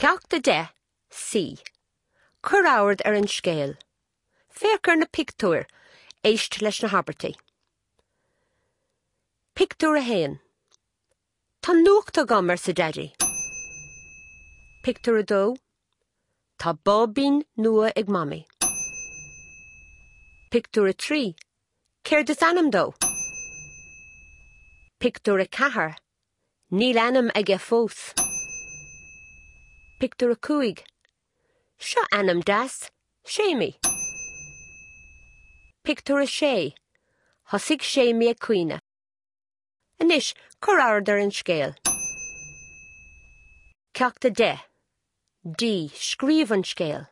Ceacht 10, C. Cuir aird ar an scéal. Féach ar na pictiúir, éist leis na habairtí. Pictiúr 1. Tá nuacht agam, arsa Daidí. Pictiúr 2. Tá báibín nua ag Mamaí. Pictiúr 3. Céard is ainm dó? Pictiúr 4. Níl ainm aige fós. Pictiúr 5. Seo ainm deas, Séimí. Pictiúr 6. Thosaigh Séimí ag caoineadh. Anois, cuir aird ar an scéal. Ceacht 10. D. Scríobh an scéal.